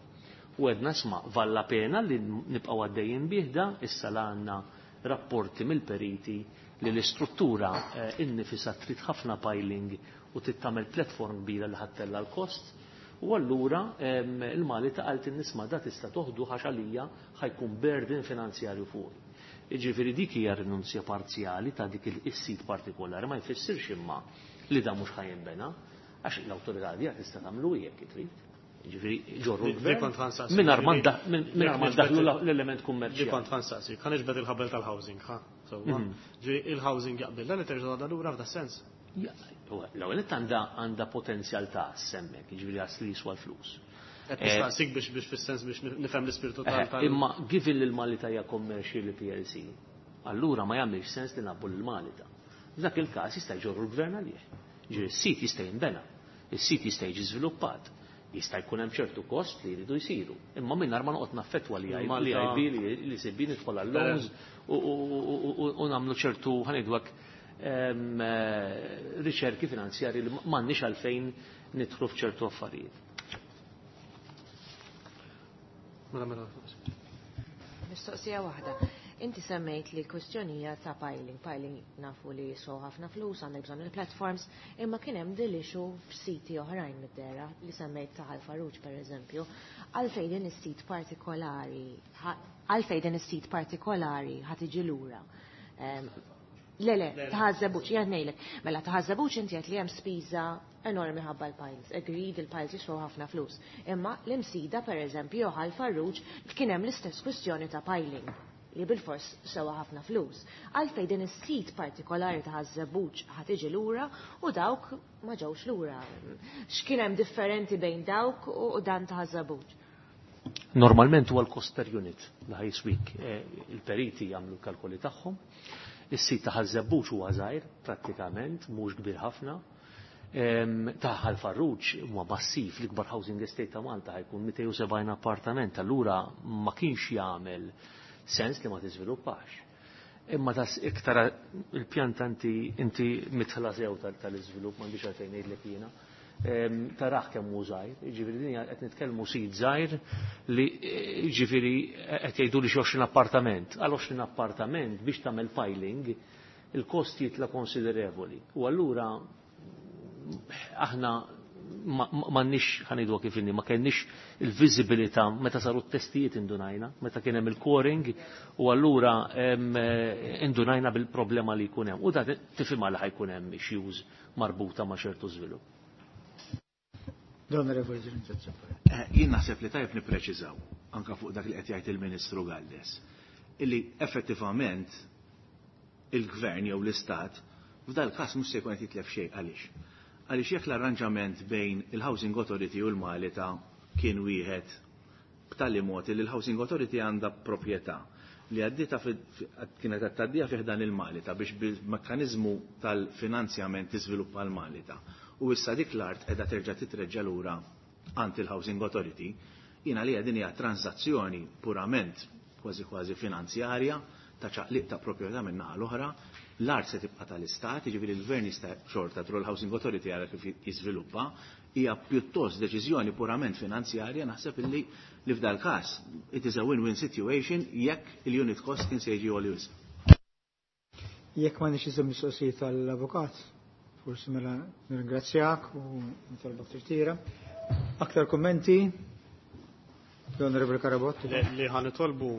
U għedna sma' valla pena li nibqgħu għaddejjin bih da, issa la għandna rapporti mill-periti li l-istruttura, eh, innifisha trid ħafna piling u trid tagħmel platform kbira li ħattella l-kost. U allura, em, il-Malita qalt in-nisma da tista' toħdu għax għalija ħajkun burden finanzjarju fuqi. Jiġifieri dik hija rinunzja parzjali ta' dik is-sit partikolari, ma jfissirx imma li da mhux ħajinbena, għax l-awtorità djar tista' tagħmlu jekk trid. Jiġifieri ġorru Di- di l-gvern kont ħansaqsi, mingħajr ma ġifieri, nda-, minn-, mingħajr ma jekk ndaħlu niġbed la-, l-element kummerċjali. Di kont ħansaqsi, kan iġbed il-ħabel tal-housing, ha? Sewwa. Mhm. Ġifieri il-housing jaqbel, dan li terġa' tgħadha lura f'da sens. Ja, l-ewwel nett għandha, għandha potenzjal ta' semmek, jiġifieri għas li jiswa l-flus. Qed nistaqsik biex, biex fis-sens biex nifhem l-ispirtu tal- Eh, tal- Imma given li l-Malita hija commercial P L C, allura ma jagħmilx sens li nabbu lil Malita. F'dak il-każ jista' jġorru l-gvern għalih. Ġifieri s-sit jista' jinbena, is-sit jista' jiġi żviluppat, jista' jkun hemm ċertu kost li jridu jsiru. Imma mingħajr ma noqgħod naffettwa li Malta li I B, li, li C B nidħol għal loans u, u, u, u, u nagħmlu ċertu, ħa ngħidu hekk, em, eh, riċerki finanzjarji li m'għandniex għalfejn nidħlu f'ċertu affarijiet. Mela, mela. Mistoqsija waħda. Inti semmejt li kwestjonija ta' piling. Piling nafu li jiswew ħafna flus, għandek bżonn il-platforms, imma kien hemm din l-issue f'siti oħrajn mid-dera li semmejt ta' Ħal Farruġ pereżempju. Għalfejn din is-sit partikolari, għalfejn din is-sit partikolari ħa tiġi lura. Em, Le, le, ta' Ħaż-Żebbuġ, jien ngħidlek. Mela ta' Ħaż-Żebbuġ inti qed li hemm spiża enormi ħabba l-piles. Agreed, il-piles jiswew ħafna flus. Imma l-Imsida pereżempju Ħal Farruġ kien hemm l-istess kwistjoni ta' piling li bil-fors sewa ħafna flus. Għalfejn din is-sit partikolari ta' Ħaż-Żebbuġ ħa tiġi lura u dawk ma ġewx lura. X'kien hemm differenti bejn dawk u dan ta' Ħaż-Żebbuġ? Normalment huwa l-cost per unit li ħajswik. Eh, il-periti jagħmlu l-kalkoli tagħhom. Is-sit ta' Ħaż-Żebbuġ huwa żgħir prattikament, mhux kbir ħafna. Em, ta' Ħal Farruġ huwa massiv, l-ikbar housing estate ta' Malta ħajkun mitejn u sebgħin appartament, allura ma kienx jagħmel sens li ma tiżviluppax. Imma tas iktar il-pjanta inti inti mitħla sew tal-iżvilupp m'għandix għalfejn ngħidlek jiena. Taraħ kemm hu żgħir, jiġifieri din qed nitkellmu sit żgħir li jiġifieri qed jgħidu li xi għoxrin appartament. Għal għoxrin appartament biex tagħmel piling il-kost jitla konsiderevoli. U allura aħna m'għandniex ħanidu kif inni, ma kenniex il-viżibilità meta saru t-testijiet indunajna, meta kien hemm il-coring u allura indunajna bil-problema li jkun hemm. U da tifhimha li ħajkun hemm issues marbuta ma' ċertu żvilupp. Jien naħseb li tajjeb nippreċiżaw anka fuq dak li qed jgħid il-Ministru Galdes, illi effettivament il-gvern jew l-istat f'dal każ mhux se jkun qed jitlef xejn. Għaliex? Għaliex jekk l-arranġament bejn il-Housing Authority u l-Malita kien wieħed b'tali mod li l-Housing Authority għandha proprjetà li għaddita kienet qed tgħaddija fih dan il-Malita biex bil-mekkaniżmu tal-finanzjament tiżviluppa l-Malita. U issa dik l-art qiegħda terġa' titreġġa' lura għand il-Housing Authority, jiena li din hija transazzjoni purament kważi kważi finanzjarja ta' ċaqliq ta' proprjetà minn naħa l-oħra, l-art se tibqa' tal-istat, jiġifieri l-gvern jista' xorta tru l-Housing Authority għara kif jiżviluppa, hija pjuttost deċiżjoni purament finanzjarja, naħseb illi li f'dal każ it is a win-win situation jekk il-unit cost kien se jiġi għoli wisq. Jekk ma nix iżem mistoqsijiet tal-avukat, forsi mela nirringrazzjak u nitolbok tirtira. Aktar kummenti? L-Onorevole Carabott. Li ħa nitolbu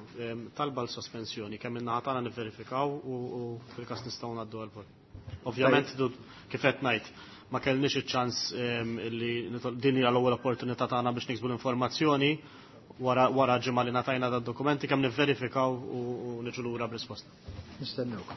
talba l-sospensjoni, kemm in-naħa tagħna nivverifikaw u fil-każ nistgħu ngħaddu għall-vot. Ovvjament, kif qed ngħid, ma kellniex iċ-ċans li din hija l-ewwel opportunità tagħna biex niksbu l-informazzjoni wara wara ġimgħa li ngħatajna dad-dokumenti kemm nivverifikaw u niġu lura b'risposta. Nistennewk.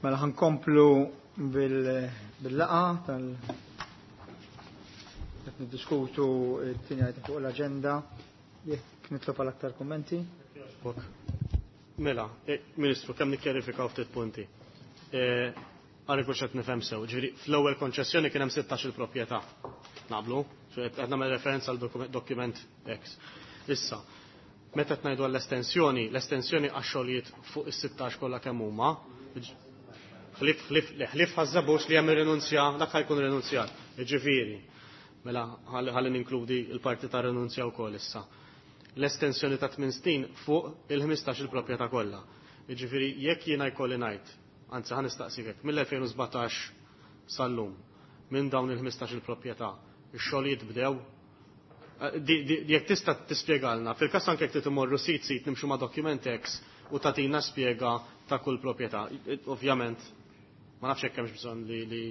Mela ħankomplu bil-laqa tal qed niddiskutu t-tieni item fuq l-aġenda. Jekk nitlob għal aktar kummenti. Mela, Ministru, kemm nikkjarifikaw ftit punti. Għarri kux qed nifhem sew. Ġifieri fl-ewwel konċessjoni kien hemm sittax il-proprjetà. Naqblu? Qed nagħmel referenza għal dokument X. Issa, meta qed ngħidu għall-estensjoni, l-estensjoni għax-xogħlijiet fuq is-sittax kollha kemm huma, ħlif ħlif ħlif ħażżabux li hemm ir-rinunzja, dak ħajkun rinunzjat. Ġifieri, mela ħalli ninkludi l-parti ta' rinunzja wkoll issa. L-estensjoni ta' tmien snin fuq il-ħmistax il-proprjetà kollha. Jiġifieri jekk jiena jkolli ngħid, anzi ħa nistaqsik hekk, mill-elfejn u sbatax sal-lum, minn dawn il-ħmistax il-proprjetà, ix-xogħlijiet bdew? Jekk tista' tispjegalna, fil-każ anke jekk trid imorru sit sit nimxu ma' dokument X u tagħtina spjega ta' kull proprjetà. Ovvjament, ma nafx hekk hemmx bżonn li li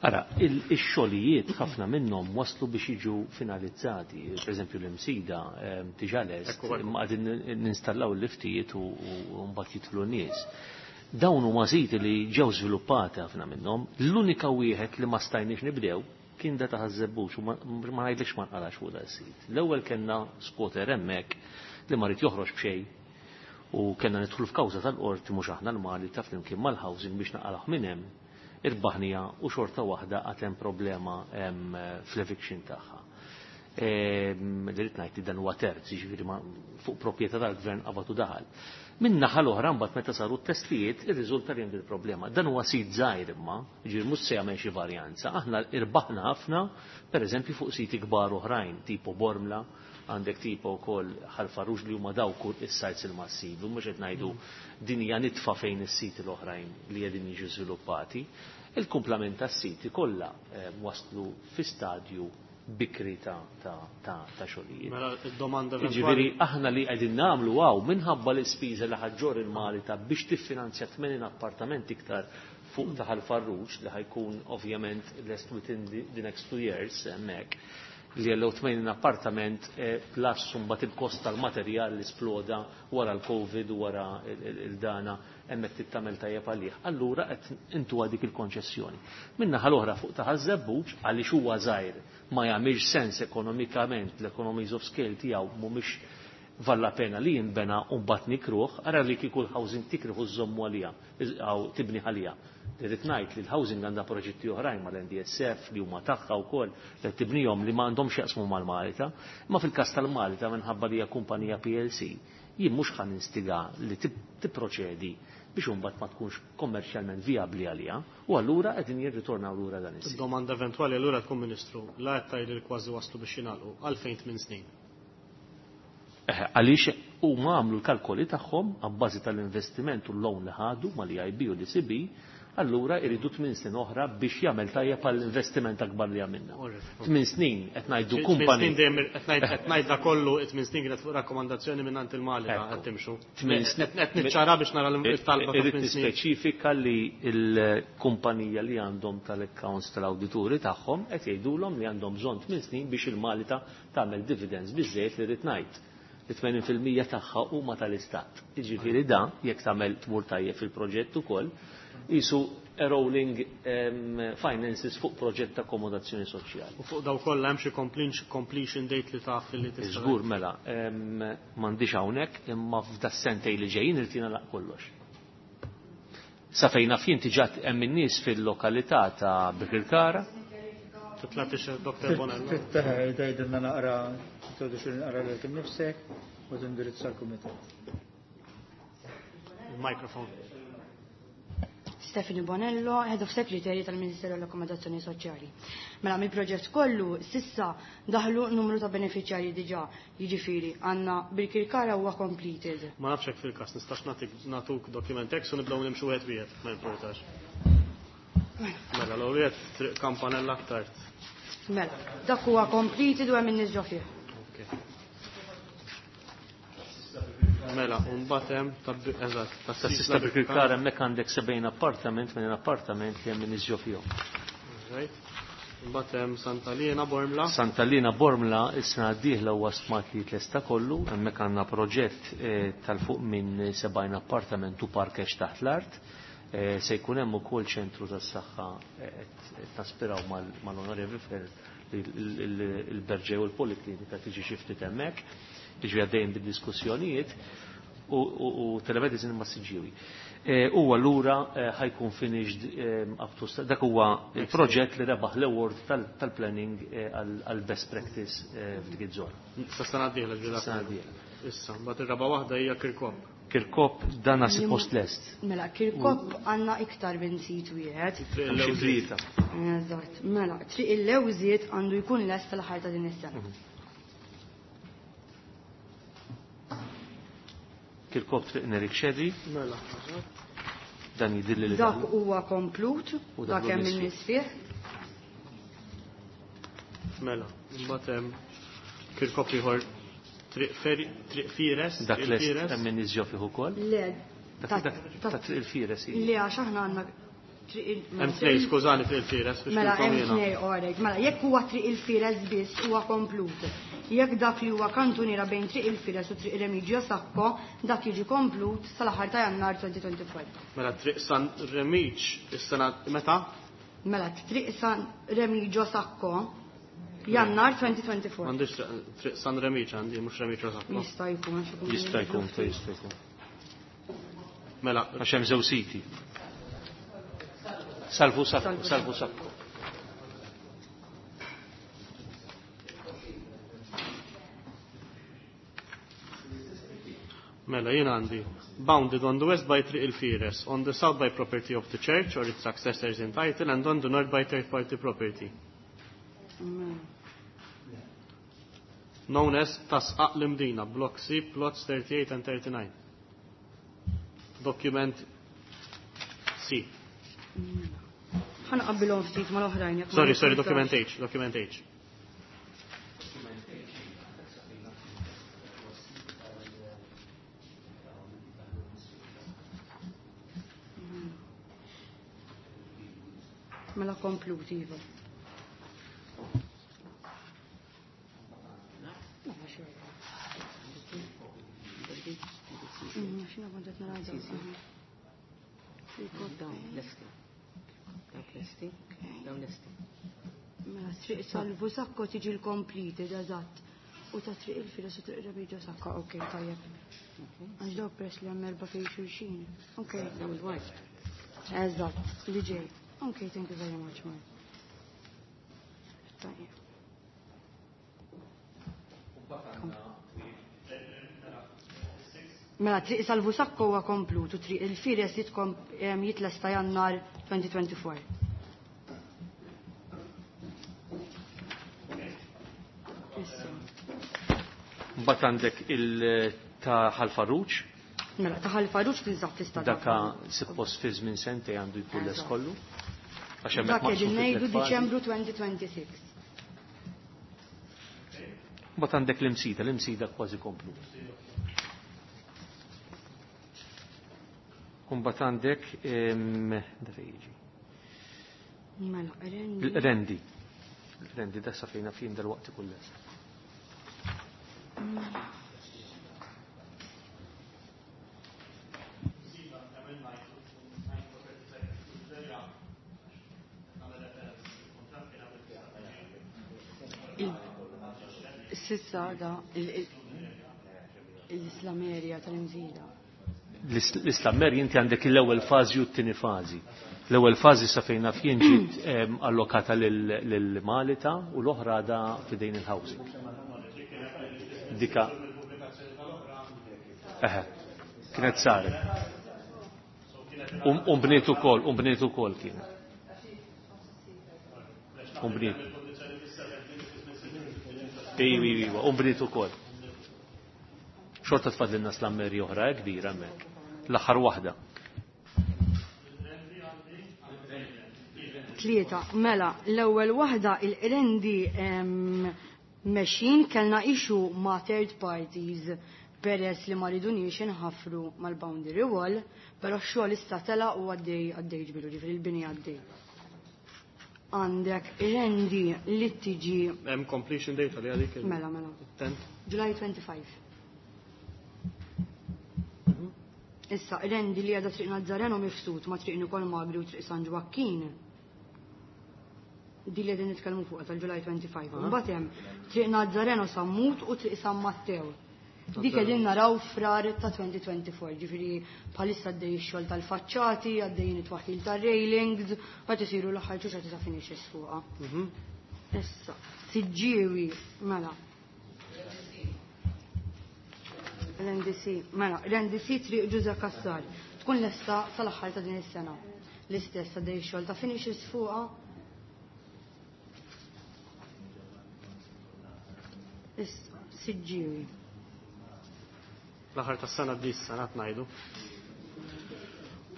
Ara, ix-xogħlijiet ħafna minnhom waslu biex jiġu finalizzati. Per eżempju l-imsida diġà lest, imma qegħdin ninstallaw l-liftijiet u mbagħad jidħlu n-nies. Dawn huma siti li ġew żviluppati ħafna minnhom. L-unika wieħed li ma stajniex nibdew kien da ta' Ħaż-Żebbuġ u ma ngħidlekx ma nqalax fuq da s-sit. L-ewwel kellna squatter hemmhekk li ma rid joħroġ b'xejn u kellna nidħlu f'kawża tal-qorti mhux aħna l-Mali ta' flimkien mal-housing biex naqalgħu minn hemm. Irbaħnija u xorta waħda għad hemm problema fl-eviction tagħha. Li rrid ngħid li dan huwa terz, jiġifieri fuq proprjetà tal-gvern qabad u daħal. Min naħa l-oħra mbagħad meta saru t-testijiet irriżulta li hemm il-problema. Dan huwa sit żgħir imma, jiġifieri mhux se jagħmel xi varjanza. Aħna irbaħna ħafna, pereżempju fuq siti kbar oħrajn, tipo Bormla, għandek tipo wkoll Ħal-Farruġ li huma dawk is-sajts il-massivi, mhux qed ngħidu din hija nitfa fejn is-siti l-oħrajn li qegħdin jiġu żviluppati. Il-kumplament tas-siti kollha waslu fi stadju bikri ta' ta' ta' ta' xogħlijiet. Mela d-domanda Jiġifieri aħna li qegħdin nagħmlu hawn minħabba l-ispiża li ħaġġor il-Malta biex tiffinanzja tmenin appartament iktar fuq ta' Ħal-Farruġ li ħajkun ovvjament lest within the next two years hemmhekk, li jellew tmenin appartament plus mbagħad il-kost tal-materjal li sploda wara l-Covid u wara il-dana hemmhekk tittamel tajjeb għalih. Allura qed intuha dik il-konċessjoni. Min-naħa l-oħra fuq ta' Ħaż-Żebbuġ għaliex huwa żgħir ma jagħmilx sens ekonomikament, l-economies of scale tiegħu mhumiex valla pena li jinbena u mbagħad nikruh, ara li kieku l-housing tikruh u żommu għalija, jew tibni għalija. Irrid ngħid li l-housing għandha proġetti oħrajn mal-N D S F li huma tagħha wkoll li tibnihom li ma għandhomx jaqsmu mal-Malta, imma fil-każ tal-Malta minħabba li hija kumpanija P L C, jien mhux ħa ninstiga li tipproċedi biex imbagħad ma tkunx kommerċjalment vijabbli għaliha, u allura qegħdin jirritornaw lura dan is-sit. Domanda eventwali allura tkun Ministru, la qed tgħid li kważi waslu biex jingħalqu għalfejn tmien snin. Għaliex huma għamlu l-kalkoli tagħhom abbażi tal-investiment u l-loan li ħadu mal-E I B u l-E C B, allura iridu tmien snin oħra biex jagħmel tajjeb għall-investiment akbar li għamilna. Tmien snin qed ngħidu Tmien kumpani. snin dejjem qed ngħid, qed ngħid da kollu tmien snin kienet fuq rakkomandazzjoni minn għand il-Malta Ekku. qed timxu. Tmien snin. Qed niċċara biex nara l-talba ta' Irrid tmien snin. nispeċifika li l-kumpanija li għandhom tal-accounts tal-awdituri tagħhom qed jgħidulhom li għandhom bżonn tmien snin biex il-Malta tagħmel dividends biżżejjed li rrid ngħid. Li tmenin fil-mija tagħha huma tal-istat. Jiġifieri da jekk tagħmel tmur tajjeb fil-proġett ukoll, jisu rolling, em, finances fuq proġett ta' akkomodazzjoni soċjali. U fuq daw kollha hemm xi completion date li taf li tista' Żgur mela, em, m'għandix hawnhekk imma f'da sentej li ġejjin irid jingħalaq kollox. Sa fejn naf jien diġà hemm in-nies fil-lokalità ta' Birkirkara. Titlatix Doktor Bonello. Titteħ, tgħidilna naqra, introduċi naqra lilek innifsek u tindirizza l-kumitat. Il-mikrofon. Stephanie Bonello, Head of Secretary tal-Ministeru għall-Akkomodazzjoni Soċjali. Mela mill-proġett kollu sissa daħlu numru ta' beneficjarji diġà, jiġifieri għandna Birkirkara huwa completed. Ma nafx hekk fil-każ nistax nagħtik nagħtuk dokument hekk u nibdew nimxu wieħed wieħed, ma importax. Mela l-ewwel wieħed triq Kampanella aktar. Mela, dak huwa completed u hemm in-nies ġo fih. Okay. Mela, u mbagħad hemm ta' bi-, eżatt, ta' Ta' sista sista Birkirkara. Birkirkara hemmhekk għandek sebgħin appartament minn appartament li hemm in-nies ġo fihom. Right. Imbagħad hemm Santa Lina Bormla. Santa Lina Bormla is-sena d-dieħla huwa stmat li tlesta kollu, hemmhekk għandna proġett eh, tal-fuq minn sebgħin appartament u parkeġġ taħt l-art. Eh, se jkun hemm ukoll ċentru tas-saħħa eh, qed naspiraw mal-Onorevoli Fer il-Berġew u l-Poliklinika tiġi xi ftit hemmhekk, tiġi għaddejjin bid-diskussjonijiet u telemedicine ma' Siġġiewi. U allura ħajkun finished up to dak huwa il-proġett li rebaħ l-award tal-planning għal best practice f'dik iż-żona. Sa sena d-dieħla ġiela. Sena d-dieħla. Issa, mbagħad ir-raba' waħda hija Kirkop. Kirkop dan suppost lest. Mela, Kirkop għandna iktar minn sit wieħed. Triq il-Lewżiet. Eżatt, mela, Triq il-Lewżiet għandu jkun lest tal-aħħar ta' din is-sena. Kirkop Triq Nerik Xedi. Mela, Dan jidilli li dak huwa komplut, dak hemm in-nies fih. Mela, imbagħad hemm Kirkop ieħor Triq Fires. Dak lest hemm in-nies ġo fih ukoll? Le. Dak ta' Triq il-Fires. Le, għax aħna għandna Triq il Hemm tnejn, skużani, Triq il-Fires. Mela, hemm tnejn, orek. Mela, jekk huwa Triq il-Fires biss huwa komplut. Jekk dak li huwa kantuniera bejn Triq il-Fires u Triq Remigio Sacco, dak jiġi komplut sal-aħħar ta' Jannar twenty twenty-four. Mela Triq San Remiġ is-sena meta? Mela Triq San Remigio Sacco Jannar twenty twenty-four. M'għandix Triq San Remiġ għandi, mhux Remigio Sacco. Jista' jkun. Jista' jkun, jista' jkun. Mela, għax hemm żew siti. Salvu Sacco, Salvu Sacco. Mela, jien għandi bounded on the west by Triq il-Fires, on the south by property of the church or its successors in title, and on the north by third party property. Known as Tasqaq l-Imdina, Block C, plots thirty-eight and thirty-nine. Document C. Ħa nqabbilhom ftit mal-oħrajn. Sorry, sorry, document H, document H. Mela komplut, iva. Xina kont qed nara Dawn lesti. Dawn lesti. Dawn lesti. Mela Triq Salvu Sacco tiġi l-completed, eżatt. U ta' Triq il-Fires u Triq Remigio Sacco, ok, tajjeb. Għax daw press li hemm erba' fejn xulxin. Ok. Dawn il-white. Eżatt, li ġej. Ok, thank you very much, man. Tajjeb. Mela, Triq Salvu Sacco huwa komplut u Triq il-Fires jitlesta Jannar twenty twenty-four. Issa. Mbagħad għandek il ta' Ħal Farruġ. Mela, ta' Ħal Farruġ tinsab tista' Daka suppost fi żmien sentej għandu jkun les kollu. Għax hemmhekk Dak qegħdin maqsum fi ngħidu tliet fażi. Diċembru twenty twenty-six. Mbagħad għandek l-Imsida, l-Imsida kważi komplut. Mbagħad għandek da fejn jiġi. Mela, Rendi. Rendi. Rendi da sa fejna fin dal-waqt ikun lest. Mela. Sissa da l-Islamerja tal-Imsida. L-Islamerja inti għandek l-ewwel fażi u t-tieni fażi. L-ewwel fażi sa fejn naf jien ġiet allokata lil Malita u l-oħra da fidejn il-housing. Dika. Eħe, kienet saret. U bniet ukoll, u bniet ukoll kienet. U bniet. Iwa, iwa, u bniet ukoll. Xorta tfadlilna slammeri oħra kbira hemmhekk. L-aħħar waħda. Tlieta, mela, l-ewwel waħda il-Qrendi mexjin, kellna issue ma' third parties peress li ma riduniex inħafru mal-boundary wall, però x-xogħol issa tela u għaddej għaddej ġbilu, ġifieri l-bini għaddej. Għandek Rendi li tiġi. Hemm completion date li għalik. Mela, mela. Tent. July twenty-five. Issa, Rendi li għadha Triq Nazzareno mifsud ma' Triq Nikol Magri u Triq San Ġwakkin. Di li qegħdin nitkellmu fuqha tal-July twenty-five. Mbagħad hemm Triq Nazzareno Sammut u Triq San Matteo. Dik qegħdin naraw frar ta' twenty twenty-four, ġifieri bħalissa għaddej ix-xogħol tal-faċċati, għaddejjin it-twaħħil tar-railings, qed isiru l-aħħar ċuċa ta' finishes fuqha. Issa, Siġġiewi, mela. L-N D C, mela, l-N D C Triq Ġużè Cassar tkun lesta sal-aħħar ta' din is-sena. L-istess għaddej ix-xogħol ta' finishes fuqha. Issa, Siġġiewi. L-aħħar tas-sena di s-sena ngħidu.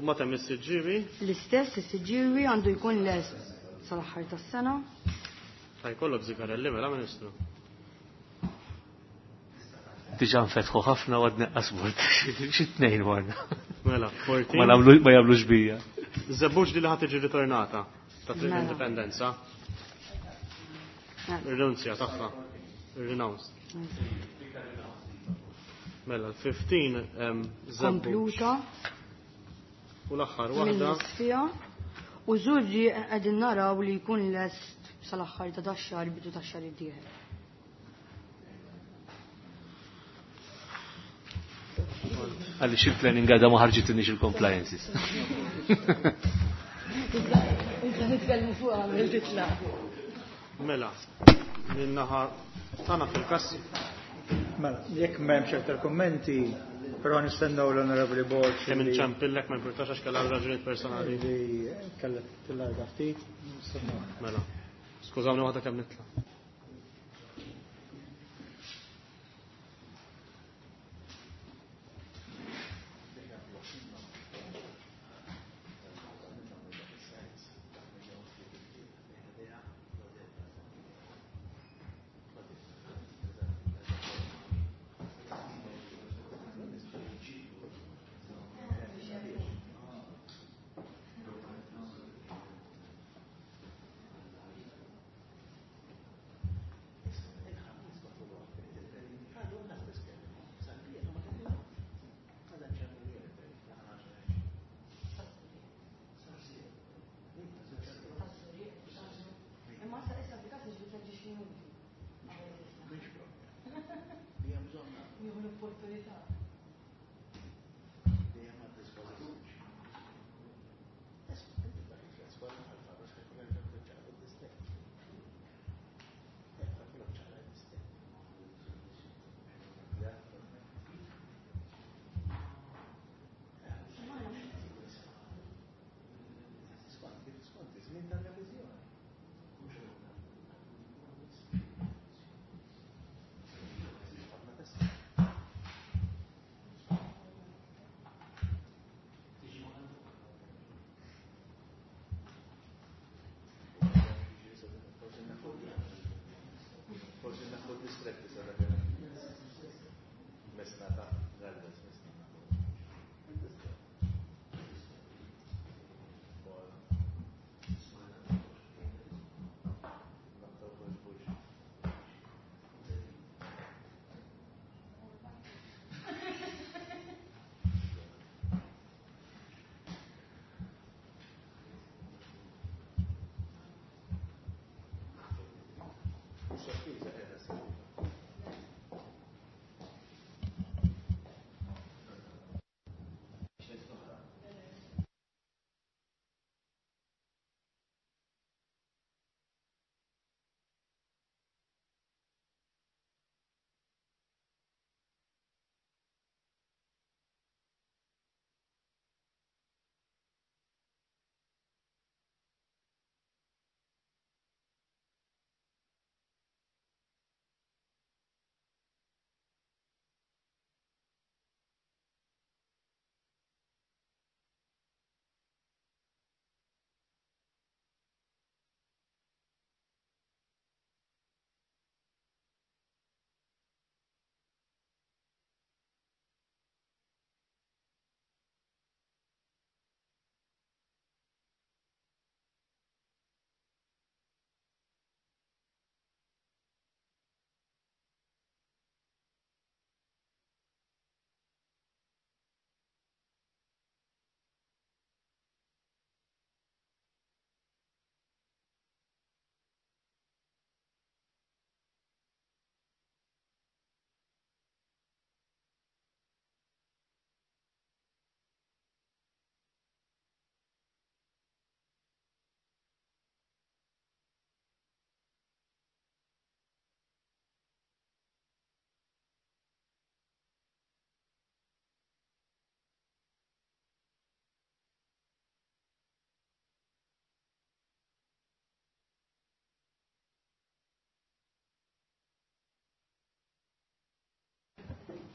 U ma temm is-Siġġiewi? L-istess is-Siġġiewi għandu jkun lest sal-aħħar tas-sena. Ta' jkollok zigarelli mela Ministru. Diġà nfetħu ħafna u għad neqqas bord. Xi tnejn warna. Mela, fourteen. Ma nagħmlu, ma jagħmlux bija. Żebbuġ li ħad tiġi ritornata ta' Triq Mela. Indipendenza. Mela. Ir-rinunzja tagħha. Ir-renounce. Mela, l-fifteen, em, Żebbuġ. Kompluta. U l-aħħar waħda. Mill-isfija. U Żurri qegħdin naraw li jkun lest sal-aħħar ta' dax-xahar, bidu tax-xahar id-dieħel. Għaliex il-planning għadha ma ħarġitinix il-compliances. Issa nitkellmu fuq għamil titla'. Mela, minnaħa tagħna fil-każ. Mela, jekk m'hemmx aktar kummenti, però nistennew l-Onorevoli Borg. Kemm li inċempillek ma importax għax kellha raġunijiet personali. Li kellha tillarga ftit, nistennew. Mela, skużawni waħda kemm nitla'.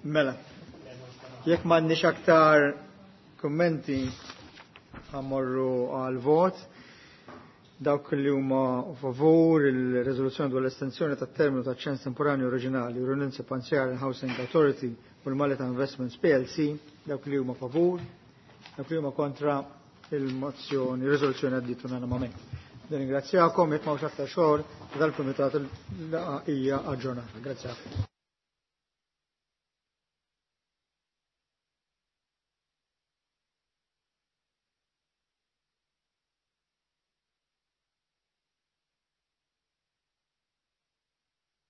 Mela, jekk m'għandniex aktar kummenti ħa mmorru għal vot. Dawk li huma favur il-reżoluzzjoni dwar l-estensjoni tat-terminu ta' ċens temporanju oriġinali u Rinunzja Panzjar Housing Authority u l-Malta Investments P L C, dawk li huma favur, dawk li huma kontra, il-mozzjoni, il-riżoluzzjoni għaddiet unanimament. Nirringrazzjakom, jekk m'hawnx aktar xogħol, dal-kumitat, il-laqgħa hija aġġornata. Grazie.